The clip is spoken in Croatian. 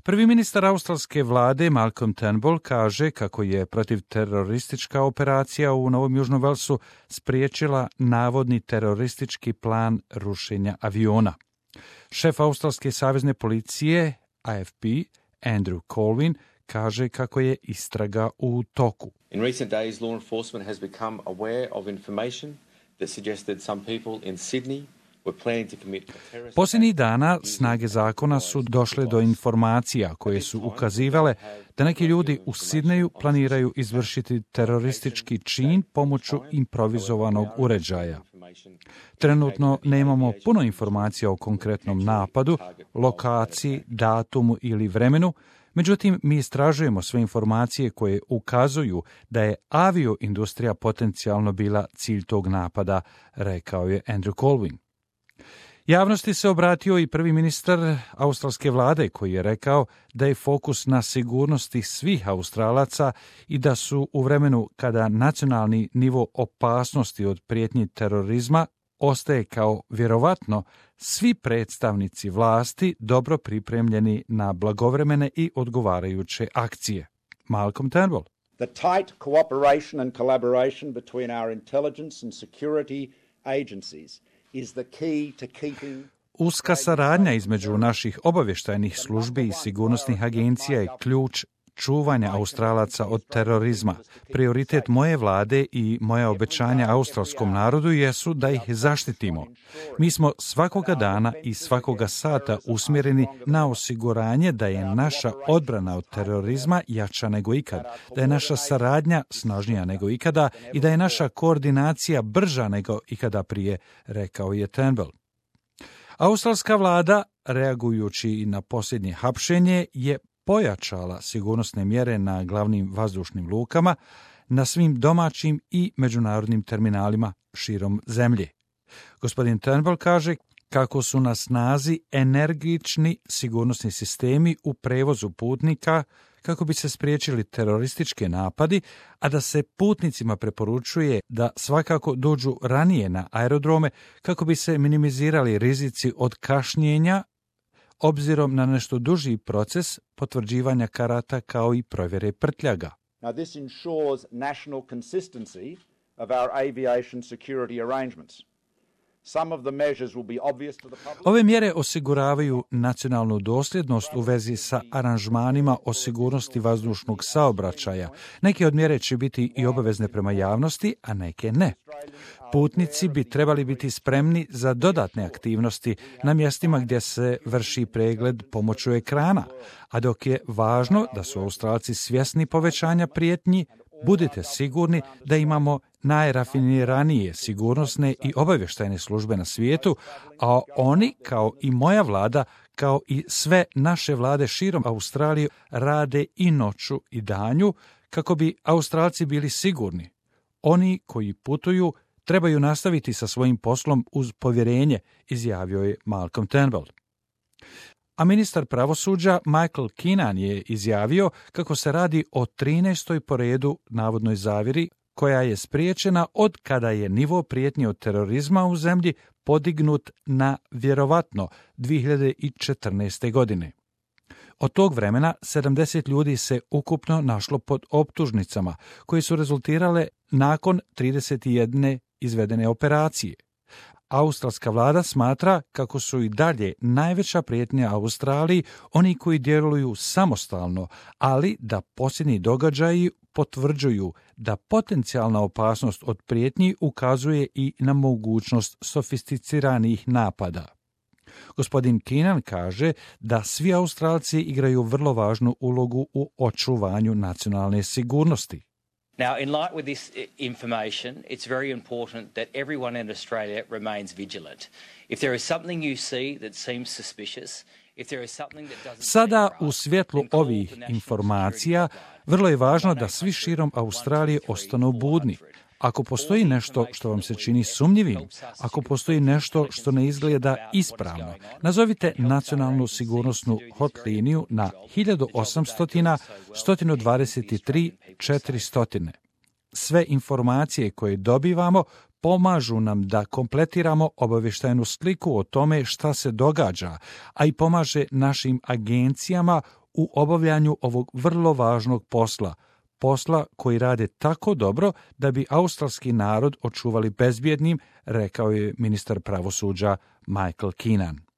Prvi ministar australske vlade Malcolm Turnbull kaže kako je protivteroristička operacija u Novom Južnom Velsu spriječila navodni teroristički plan rušenja aviona. Šef australske savezne policije AFP Andrew Colvin kaže kako je istraga u toku. In recent days, law enforcement has become aware of information that suggested some people in Sydney were planning to commit a terrorist. Posljednjih dana snage zakona su došle do informacija koje su ukazivale da neki ljudi u Sidneju planiraju izvršiti teroristički čin pomoću improvizovanog uređaja. Trenutno nemamo puno informacija o konkretnom napadu, lokaciji, datumu ili vremenu, međutim mi istražujemo sve informacije koje ukazuju da je avioindustrija potencijalno bila cilj tog napada, rekao je Andrew Colvin. Javnosti se obratio i prvi ministar australske vlade koji je rekao da je fokus na sigurnosti svih Australaca i da su u vremenu kada nacionalni nivo opasnosti od prijetnji terorizma ostaje kao vjerovatno, svi predstavnici vlasti dobro pripremljeni na blagovremene i odgovarajuće akcije. Malcolm Turnbull. The tight cooperation and collaboration between our intelligence and security agencies is the key to keeping. Uska saradnja između naših obavještajnih službi i sigurnosnih agencija je ključ čuvanja Australaca od terorizma. Prioritet moje vlade i moja obećanja australskom narodu jesu da ih zaštitimo. Mi smo svakoga dana i svakoga sata usmjereni na osiguranje da je naša odbrana od terorizma jača nego ikad, da je naša saradnja snažnija nego ikada i da je naša koordinacija brža nego ikada prije, rekao je Turnbull. Australska vlada, reagujući na posljednje hapšenje, je pojačala sigurnosne mjere na glavnim vazdušnim lukama, na svim domaćim i međunarodnim terminalima širom zemlje. Gospodin Turnbull kaže kako su na snazi energični sigurnosni sistemi u prevozu putnika kako bi se spriječili teroristički napadi, a da se putnicima preporučuje da svakako dođu ranije na aerodrome kako bi se minimizirali rizici od kašnjenja obzirom na nešto duži proces potvrđivanja karata kao i provjere prtljaga. Now this ensures national consistency of our aviation security arrangements. Some of the measures will be obvious to the public. Ove mjere osiguravaju nacionalnu dosljednost u vezi sa aranžmanima o sigurnosti vazdušnog saobraćaja. Neke od mjere će biti i obavezne prema javnosti, a neke ne. Putnici bi trebali biti spremni za dodatne aktivnosti na mjestima gdje se vrši pregled pomoću ekrana, a dok je važno da su Australci svjesni povećanja prijetnji, budite sigurni da imamo najrafiniranije sigurnosne i obavještajne službe na svijetu, a oni, kao i moja vlada, kao i sve naše vlade širom Australije, rade i noću i danju kako bi Australci bili sigurni. Oni koji putuju trebaju nastaviti sa svojim poslom uz povjerenje, izjavio je Malcolm Turnbull. A ministar pravosuđa Michael Keenan je izjavio kako se radi o 13. po redu navodnoj zavjeri koja je spriječena od kada je nivo prijetnje od terorizma u zemlji podignut na vjerovatno 2014. godine. Od tog vremena 70 ljudi se ukupno našlo pod optužnicama koje su rezultirale nakon 31 izvedene operacije. Australska vlada smatra kako su i dalje najveća prijetnja Australiji oni koji djeluju samostalno, ali da posljednji događaji potvrđuju da potencijalna opasnost od prijetnji ukazuje i na mogućnost sofisticiranih napada. Gospodin Keenan kaže da svi Australci igraju vrlo važnu ulogu u očuvanju nacionalne sigurnosti. Now, in light with this information, it's very important that everyone in Australia remains vigilant. If there is something you see that seems suspicious, if there is something that doesn't Sada, u svjetlu ovih informacija, vrlo je važno da svi širom Australije ostanu budni. Ako postoji nešto što vam se čini sumnjivim, ako postoji nešto što ne izgleda ispravno, nazovite nacionalnu sigurnosnu hotliniju na 1800 123 400. Sve informacije koje dobivamo pomažu nam da kompletiramo obavještajnu sliku o tome šta se događa, a i pomaže našim agencijama u obavljanju ovog vrlo važnog posla koji rade tako dobro da bi australski narod očuvali bezbjednim, rekao je ministar pravosuđa Michael Keenan.